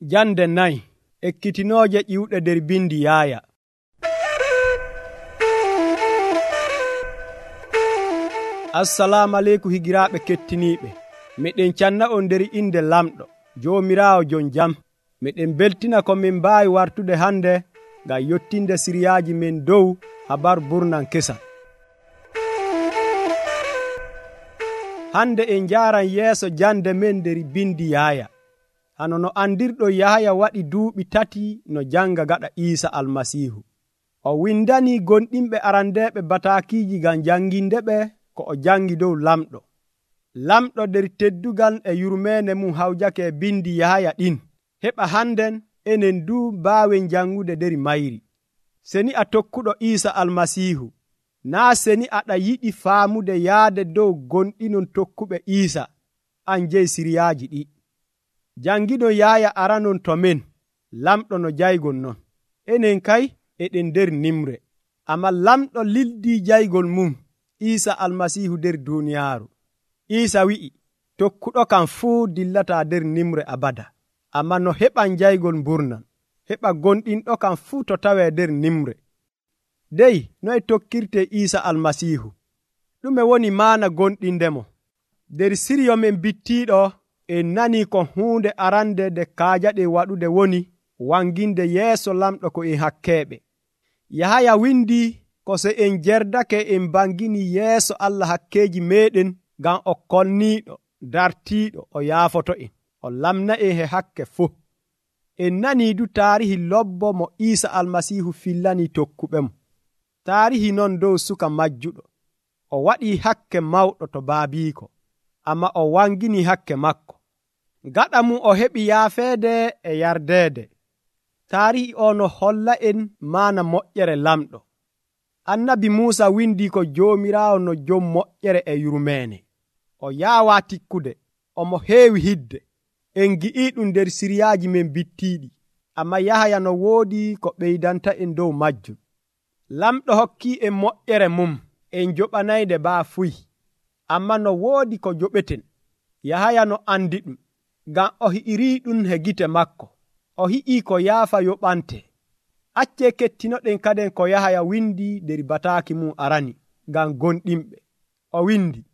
Jande 4 ekkitinooje ƴiwɗe nder bindi Yaaya. Assalamu aleykum higiraaɓe kettiniiɓe. Miɗen canna on nder inde lamɗo Joomiraawo jon jam. Miɗen beltina ko min mbaawi wartude hande ngam yottinde siriyaaji men dow habaru burnan kesal. Hande en njaaran yeeso jande men nder bindi Yaaya. Hano no andirɗo Yahaya waɗi duuɓi 3 no janga gaɗa Iisa Almasiihu. O windani gonɗinɓe arandeeɓe bataakiiji ngam jangindeɓe ko o jangi dow lamɗo. Lamɗo nder teddugal e yurmeene mum hawjake e bindi Yahaya ɗin. Heɓa hannden enen du mbaawen jangude nder mayri. Seni a tokkuɗo Iisa Almasiihu, naa seni aɗa yiɗi faamude yaade dow gonɗinon tokkuɓe Iisa, an jeyi siriyaaji ɗi. Jangiɗo Yaaya aranon to men, lamɗo no jaygol non. Enen kay eɗen nder nimre. Amma lamɗo lildii jaygol mum, Iisa Almasiihu nder duuniyaaru. Iisa wi'i, tokkuɗo kam fuu dillataa nder nimre abada. Amma no heɓan jaygol mburnan, heɓa gonɗinɗo kam fuu to tawee nder nimre. Dey, noye tokkirte Iisa Almasiihu? Ɗume woni maana gonɗindemo? Nder siryo men bittiiɗo, en nanii ko huunde arande nde kaajaɗen waɗude woni wanginde yeeso lamɗo ko en hakkeeɓe. Yahaya windi ko so en jerdake en bangini yeeso Allah hakkeeji meeɗen ngam o kolniiɗo, dartiiɗo, o yaafoto en, o lamna en he hakke fuu. En nanii du taarihi lobbo mo Iisa Almasiihu fillanii tokkuɓemo. Taarihi non dow suka majjuɗo. O waɗii hakke mawɗo to baabiiko, amma o wangini hakke makko. Gaɗa mum o heɓi yaafeede e yardeede. Taarihi o no holla en maana moƴƴere lamɗo. Annabi Muusa windi ko Joomiraawo no jom moƴƴere e yurmeene. O yaawaa tikkude, omo heewi hidde. En gi'ii ɗum nder siriyaaji men bittiiɗi, amma Yahaya no woodi ko ɓeydanta en dow majjum. Lamɗo hokkii en moƴƴere mum, en joɓanayde baafuy, amma no woodi ko joɓeten. Yahaya no andi ɗum, ngam o hi'irii ɗum he gite makko. O hi'ii ko yaafa yoɓante. Accee kettinoɗen kaden ko Yahaya windi nder bataaki mum arani ngam gonɗinɓe. O windi,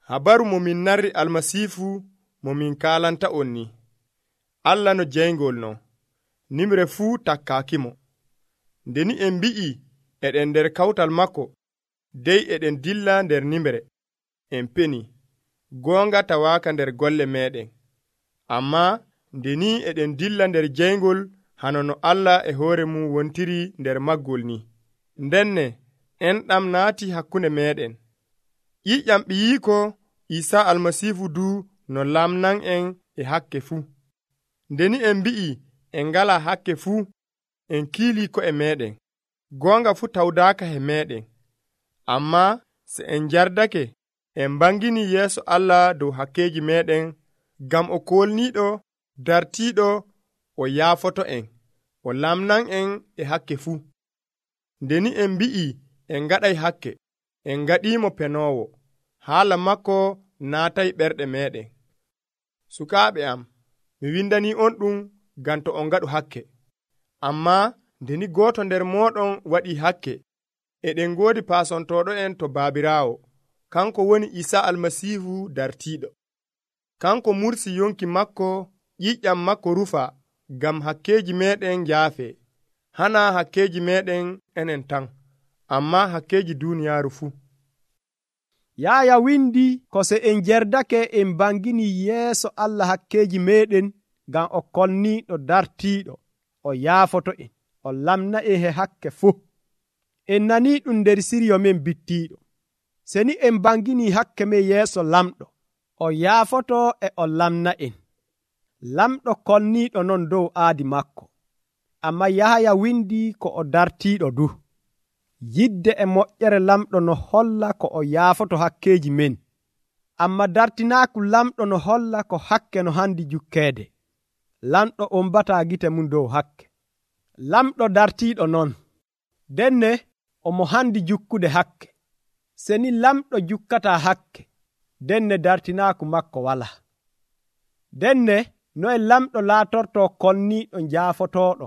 habaru mo min narri Almasiifu mo min kaalanta on ni. Allah no jeyngol no, nimre fuu takkaakimo. Ndeni en mbi'i eɗen nder kawtal makko, dey eɗen dilla nder nimre. En peni, goonga tawaaka nder golle meeɗen. Amma ndeni eɗen dilla nder jeyngol hano no Allah e hoore mum wontiri nder maggol ni. Ndenne enɗam naati hakkunde meeɗen. ƴiƴƴam ɓiyiiko Iisa Almasiihu du no lamnan en e hakke fuu. Ndeni en mbi'i en ngalaa hakke fuu, en kiilii ko'e meeɗen. Goonga fuu tawdaaka he meeɗen. Amma se en jardake, en bangini yeeso Allah dow hakkeeji meeɗen, ngam o koolniiɗo, dartiiɗo, o yaafoto en, o lamnan en e hakke fuu. Ndeni en mbi'i en ngaɗay hakke, en ngaɗiimo penoowo, haala makko naatay ɓerɗe meeɗen. Sukaaɓe am, mi windanii on ɗum ngam to on ngaɗu hakke. Amma ndeni gooto nder mooɗon waɗii hakke, eɗen ngoodi paasontooɗo en to Baabiraawo, kanko woni Iisa Almasiihu dartiiɗo. Kanko mursi yonki makko, ƴiƴƴam makko rufa, ngam hakkeeji meeɗen njaafe. Hana hakkeeji meeɗen enen tan, amma hakkeeji duuniyaaru fuu. Yaaya windi ko so en jerdake en bangini yeeso Allah hakkeeji meeɗen ngam o kolniiɗo, dartiiɗo, o yaafoto en, o lamna en he hakke fuu. En nanii ɗum nder siryo men bittiiɗo. Seni en bangini hakke men yeeso lamɗo, o yaafoto e o lamna en. Lamɗo kolniiɗo non dow aadi makko, amma Yahaya windi ko o dartiiɗo du. Yidde e moƴƴere lamɗo no holla ko o yaafoto hakkeeji men, amma dartinaaku lamɗo no holla ko hakke no handi jukkeede. Lamɗo on bataa gite mum dow hakke. Lamɗo dartiiɗo non, denne omo handi jukkude hakke. Seni lamɗo jukkataa hakke, denne dartinaaku makko walaa. Denne noye lamɗo laatorto konniiɗo jaafotooɗo,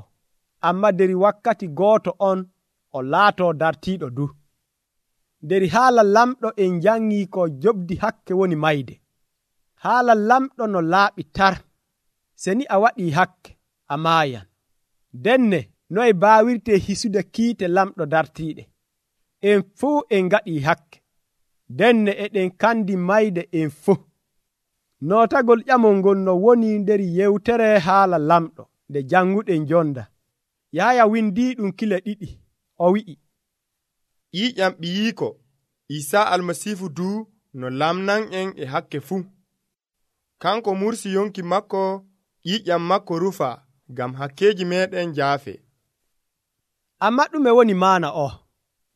amma der wakkati gooto on o laato dartiiɗo du. Der haala lamɗo en jangii ko jobdi hakke woni mayde. Haala lamɗo no laaɓi tar. Seni a waɗii hakke, a maayan. Denne noye baawirte hisude kiite lamɗo dartiiɗe. En fuu en ngaɗii hakke. Denne eɗen kandi mayde en fuu. Nootagol ƴamol ngol no woni nder yewtere haala lamɗo nde janguɗen jonda. Yahaya windii ɗum kile 2. O wi'i, ƴiiƴam ɓiyiiko Isaa almasiihu du no lamnan en e hakke fuu. Kanko mursi yonki makko ƴiiƴam makko rufa ngam hakkeeji meeɗen jaafe. Amma ɗume woni maana o?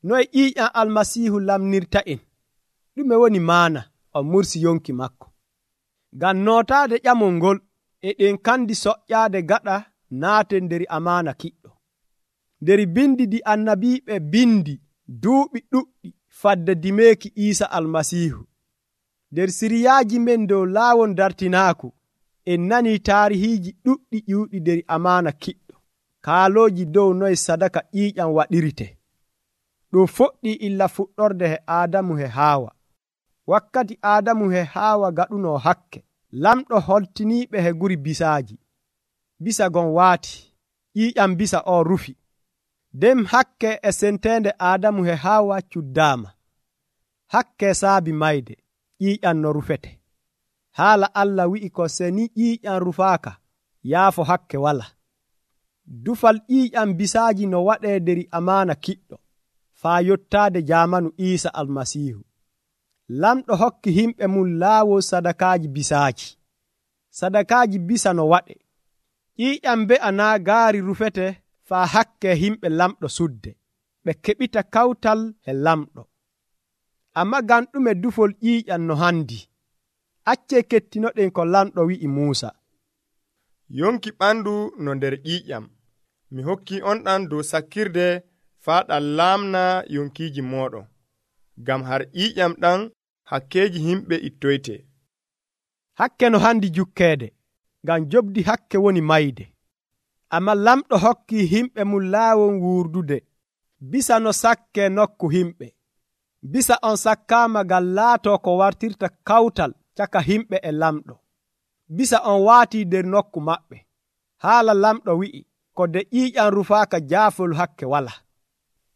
Noye ƴiiƴam almasiihu lamnirta en? Ɗume woni maana o mursi yonki makko? Ngam nootaade ƴamol ngol eɗen kandi soƴƴaade gaɗa naaten nder amaana kiɗɗo. Nder bindi ɗi annabiiɓe bindi duuɓi ɗuɗɗi fadde dimeeki Iisa almasiihu. Nder siriyaaji men dow laawol dartinaaku en nanii taarihiiji ɗuɗɗi ƴiwɗi nder amaana kiɗɗo, kaalooji dow noye sadaka ƴiiƴam waɗirite. Ɗum fuɗɗii illa fuɗɗorde he Aadamu he Haawa. Wakkati Aadamu he Haawa gaɗunoo hakke, lamɗo holtiniiɓe he guri bisaaji. Bisa gon waati, ƴiiƴam bisa o rufi. Nden hakke e senteende Aadamu he Haawa cuddaama. Hakke saabi mayde, ƴiiƴam no rufete. Haala Allah wi'i ko seni ƴiiƴam rufaaka, yaafo hakke wala. Dufal ƴiiƴam bisaaji no waɗee nder amaana kiɗɗo, faa yottaade jaamanu Iisa almasiihu. Lamɗo hokki himɓe mum laawol sadakaaji bisaaji. Sadakaaji bisa no waɗe. ƴiiƴam be'a naa gaari rufete faa hakke himɓe lamɗo sudde, ɓe keɓita kawtal he lamɗo. Amma ngam ɗume dufol ƴiiƴam no handi? Accee kettinoɗen ko lamɗo wi'i Muusa. Yonki ɓandu no nder ƴiiƴam. Mi hokki on ɗan dow sakkirde faa ɗan laamna yonkiiji mooɗon. Ngam har ƴiiƴam ɗan hakkeeji himɓe ittoyte. Hakke no handi jukkeede, ngam jobdi hakke woni mayde. Amma lamɗo hokki himɓe mum laawol wuurdude, bisa no sakke nokku himɓe. Bisa on sakkaama ngam laatoo ko wartirta kawtal caka himɓe e lamɗo. Bisa on waatii nder nokku maɓɓe. Haala lamɗo wi'i, ko de ƴiiƴam rufaaka jaafol hakke wala.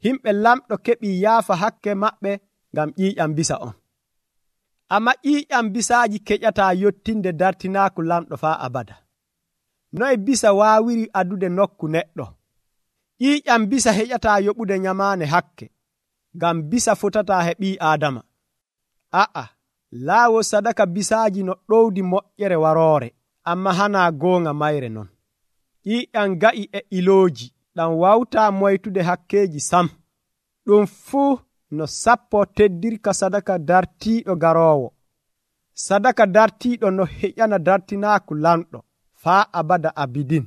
Himɓe lamɗo keɓii yaafa hakke maɓɓe ngam ƴiiƴam bisa on. Amma ƴiiƴam bisaaji keƴataa yottinde dartinaaku lamɗo faa abada. Noye bisa waawiri adude nokku neɗɗo? ƴiiƴam bisa heƴataa yoɓude nyamaane hakke, ngam bisa fotataa he ɓii Aadama. A'a, laawol sadaka bisaaji no ɗowdi moƴƴere waroore, amma hanaa goonga mayre non. ƴiiƴam ga'i e ilooji ɗam wawtaa moytude hakkeeji sam. Ɗum fuu no sappo teddirka sadaka dartiiɗo garoowo. Sadaka dartiiɗo no heƴana dartinaaku lamɗo faa abada abidin.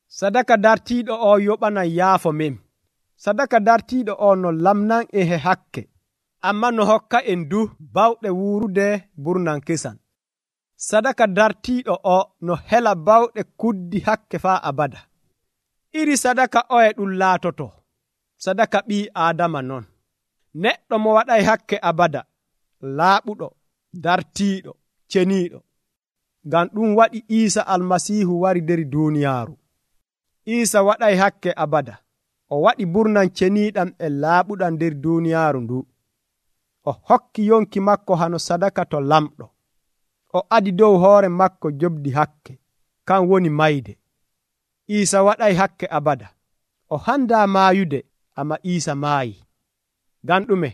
Sadaka dartiiɗo o yoɓanan yaafo men. Sadaka dartiiɗo o no lamnan e he hakke, amma no hokka en du bawɗe wuurude burnan kesan. Sadaka dartiiɗo o no hela bawɗe kuddi hakke faa abada. Iri sadaka o e ɗum laatoto sadaka ɓii Aadama non. Neɗɗo mo waɗay hakke abada, laaɓuɗo, dartiiɗo, ceniiɗo. Ngam ɗum waɗi Iisa almasiihu wari nder duuniyaaru. Iisa waɗay hakke abada. O waɗi burnan ceniiɗam e laaɓuɗam nder duuniyaaru ndu. O hokki yonki makko hano sadaka to lamɗo. O adi dow hoore makko jobdi hakke, kan woni mayde. Iisa waɗay hakke abada. O handaa maayude, amma Iisa maayi. Ngam ɗume?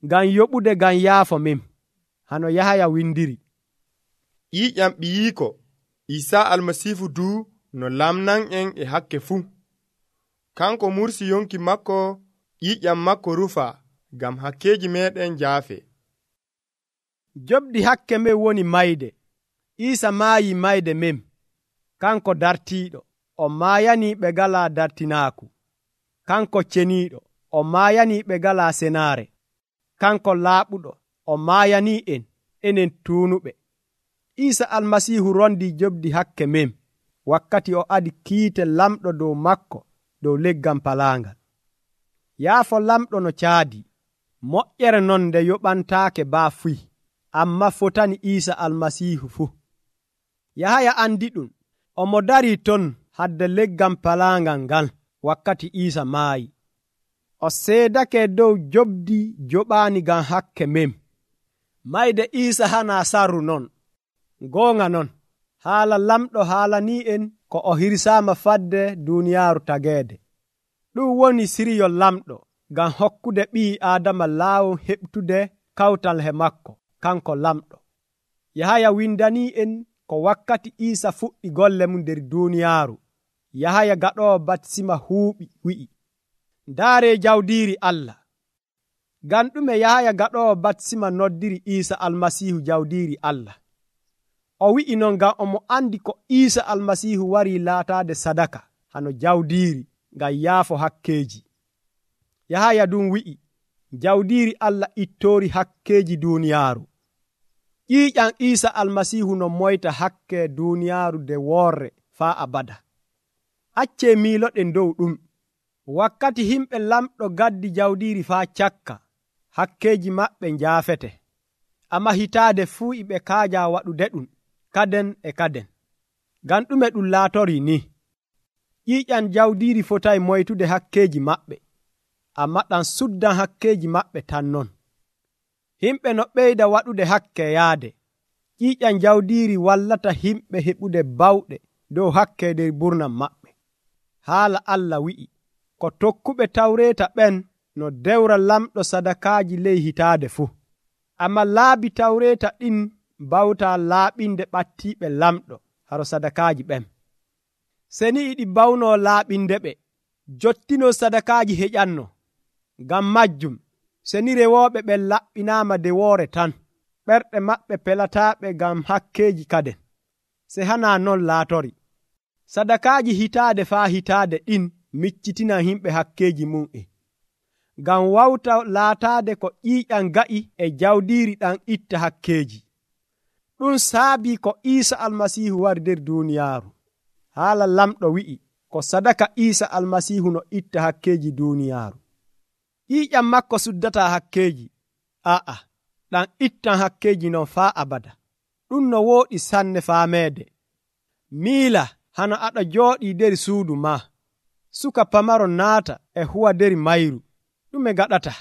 Ngam yoɓude ngam yaafo men, hano Yahaya windiri. ƴiiƴam ɓiyiiko Isaa almasiihu du no lamnan en e hakke fuu. Kanko mursi yonki makko ƴiiƴam makko rufa ngam hakkeeji meeɗen jaafe. Jobdi hakke men woni mayde. Iisa maayi mayde men. Kanko dartiiɗo, o maayanii ɓe galaa dartinaaku. Kanko ceniiɗo, o maayanii ɓe galaa senaare. Kanko laaɓuɗo, o maayanii en, enen tuunuɓe. Iisa almasiihu rondi jobdi hakke men wakkati o adi kiite lamɗo dow makko dow leggal palaangal. Yaafo lamɗo no caadi, moƴƴere non nde yoɓantaake baa fuy, amma fotani Iisa almasiihu fuu. Yahaya andi ɗum, omo darii ton hadde leggal palaangal ngal wakkati Iisa maayi. O seedake dow jobdi joɓaani ngam hakke men. Mayde Iisa hana sarru non. Goonga non, haala lamɗo haalanii en ko o hirsaama fadde duuniyaaru tageede. Ɗum woni siriyol lamɗo ngam hokkude ɓii Aadama laawol heɓtude kawtal he makko, kanko lamɗo. Yahaya windanii en ko wakkati Iisa fuɗɗi golle mum nder duuniyaaru. Yahaya gaɗoowo batisima huuɓi wi'i, ndaaree jawdiiri Allah. Ngam ɗume Yahaya gaɗoowo batisima noddiri Iisa almasiihu jawdiiri Allah? O wi'i non ngam omo andi ko Iisa almasiihu warii laataade sadaka hano jawdiiri ngam yaafo hakkeeji. Yahaya ɗum wi'i, jawdiiri Allah ittoori hakkeeji duuniyaaru. ƴiiƴam Iisa almasiihu no moyta hakke duuniyaaru de worre faa abada. Accee miiloɗen dow ɗum. Wakkati himɓe lamɗo gaddi jawdiiri faa cakka, hakkeeji maɓɓe njaafete. Amma hitaade fuu ɓe kaaja waɗude ɗum kaden e kaden. Ngam ɗume ɗum laatorii ni? ƴiiƴam jawdiiri fotayi moytude hakkeeji maɓɓe, amma ɗam suddan hakkeeji maɓɓe tan non. Himɓe no ɓeyda waɗude hakke yaade, ƴiiƴam jawdiiri wallata himɓe heɓude bawɗe dow hakke nder burnam maɓɓe. Haala Allah wi'i, ko tokkuɓe tawreeta ɓen no dewra lamɗo sadakaaji ley hitaade fuu. Amma laabi tawreeta ɗin bawtaa laaɓinde ɓattiiɓe lamɗo haro sadakaaji ɓen. Seni iɗi bawnoo laaɓinde ɓe, jottino sadakaaji heƴanno. Ngam majjum, seni rewooɓe ɓen laɓɓinaama dewoore tan, ɓerɗe maɓɓe pelataaɓe ngam hakkeeji kaden. Se hanaa non laatori. Sadakaaji hitaade faa hitaade ɗin miccitina himɓe hakkeeji mum'en. Ngam wawta laataade ko ƴiiƴam ga'i e jawdiiri ɗam itta hakkeeji. Ɗum saabii ko Iisa almasiihu wari nder duuniyaaru. Haala lamɗo wi'i ko sadaka Iisa almasiihu no itta hakkeeji duuniyaaru. ƴiiƴam makko suddataa hakkeeji. A'a, ɗam ittan hakkeeji non faa abada. Ɗum no wooɗi sanne faameede. Miila hano aɗa jooɗii nder suudu ma. Suka pamaro naata e huwa nder mayru. Ɗume gaɗata?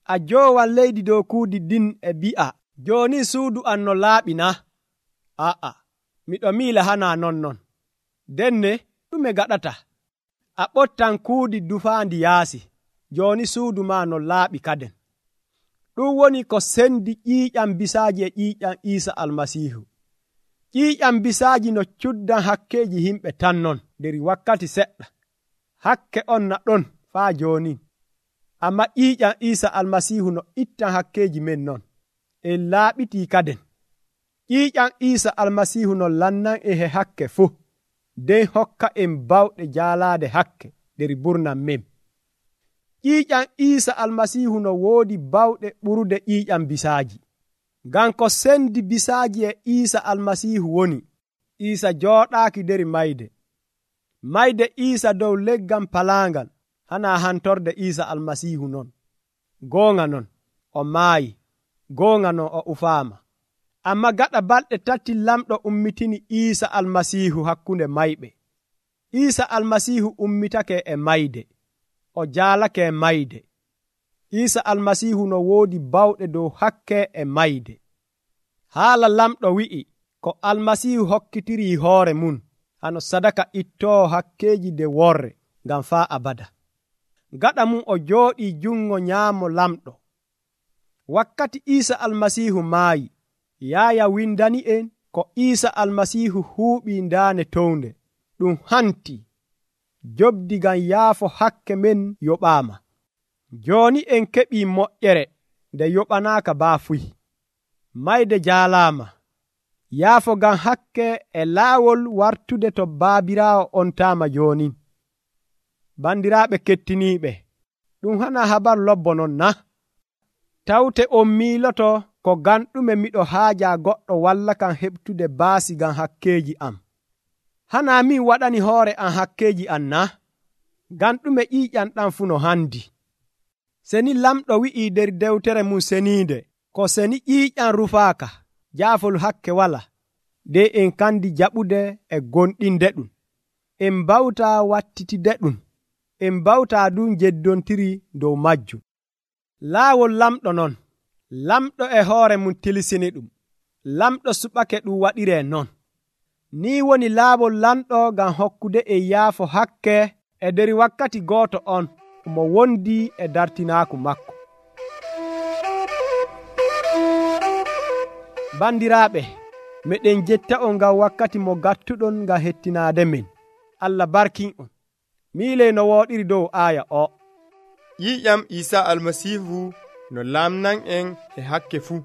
A joowan leydi dow kuudi ɗin e bi'a, jooni suudu an no laaɓi na? A'a, miɗo miila hana non. Denne ɗume gaɗata? A ɓottan kuudi dufaandi yaasi, jooni suudu ma no laaɓi kaden. Ɗum woni ko sendi ƴiiƴam bisaaji e ƴiiƴam Iisa almasiihu. ƴiiƴam bisaaji no cuddan hakkeeji himɓe tan non nder wakkati seɗɗa. Hakke on na ɗon faa jooni. Amma ƴiiƴam Iisa almasiihu no ittan hakkeeji men non. En laaɓitii kaden. ƴiiƴam Iisa almasiihu no lannan e he hakke fuu, nden hokka en bawɗe jaalaade hakke nder burnam men. ƴiiƴam Iisa almasiihu no woodi bawɗe ɓurude ƴiiƴam bisaaji. Ngam ko sendi bisaaji e Iisa almasiihu woni, Iisa jooɗaaki nder mayde. Mayde Iisa dow leggal palaangal hana hantorde Iisa almasiihu non. Goonga non, o maayi. Goonga non, o ufaama. Amma gaɗa balɗe 3 lamɗo ummitini Iisa almasiihu hakkunde mayɓe. Iisa almasiihu ummitake e mayde. O jaalake e mayde. Iisa almasiihu no woodi bawɗe dow hakke e mayde. Haala lamɗo wi'i ko almasiihu hokkitirii hoore mum hano sadaka ittoo hakkeeji de worre ngam faa abada. Gaɗa mum o jooɗii jungo nyaamo lamɗo. Wakkati Iisa almasiihu maayi, Yaaya windani en ko Iisa almasiihu huuɓii ndaane townde. Ɗum hanti. Jobdi ngam yaafo hakke men yoɓaama. Jooni en keɓii moƴƴere nde yoɓanaaka baafuy. Mayde jaalaama. Yaafo ngam hakke e laawol wartude to baabiraawo on taama jooni. Bandiraaɓe kettiniiɓe, ɗum hana habaru lobbo non na? Tawte on miiloto ko ganɗume miɗo haaja goɗɗo walla kam heɓtude baasi ngam hakkeeji am. Hana min waɗani hoore am hakkeeji am na? Ganɗume ƴiiƴam ɗam fuu no handi. Seni lamɗo wi'ii nder dewtere mum seniinde, ko seni ƴiiƴam rufaaka, jaafol hakke wala, de en kandi jaɓude e gonɗinde ɗum. En mbawtaa wattitide ɗum. En mbawtaa ɗum jeddontiri dow majjum. Laawol lamɗo non, lamɗo e hoore mum tilisini ɗum. Lamɗo suɓake ɗum waɗire non. Ni woni laawol lamɗo ngam hokkude e yaafo hakke e nder wakkati gooto on mo wondi e dartinaaku makko. Bandiraaɓe, meɗen jetta'on ngam wakkati mo gattuɗon ngam hettinaade men. Allah barkin'on. Miile no wooɗiri dow aaya o. ƴiiƴam Iisa Almasiihu no laamnan en e hakke fuu.